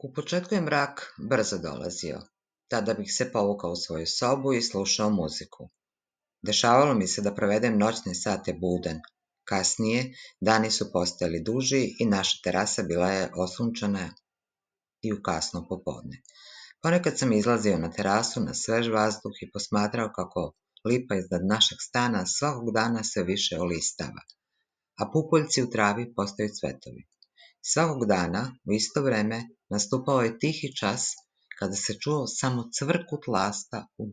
U početku je mrak brzo dolazio. Tada bih se povukao u svoju sobu i slušao muziku. Dešavalo mi se da provedem noćne sate budan. Kasnije, dani su postajali duži i naša terasa bila je osunčana i u kasno popodne. Ponekad sam izlazio na terasu na svež vazduh i posmatrao kako lipa iznad našeg stana svakog dana sve više olistava, a pupoljci u travi postaju cvetovi. Svakog dana, u isto vreme, nastupao je tihi čas kada se čuo samo cvrkut lasta u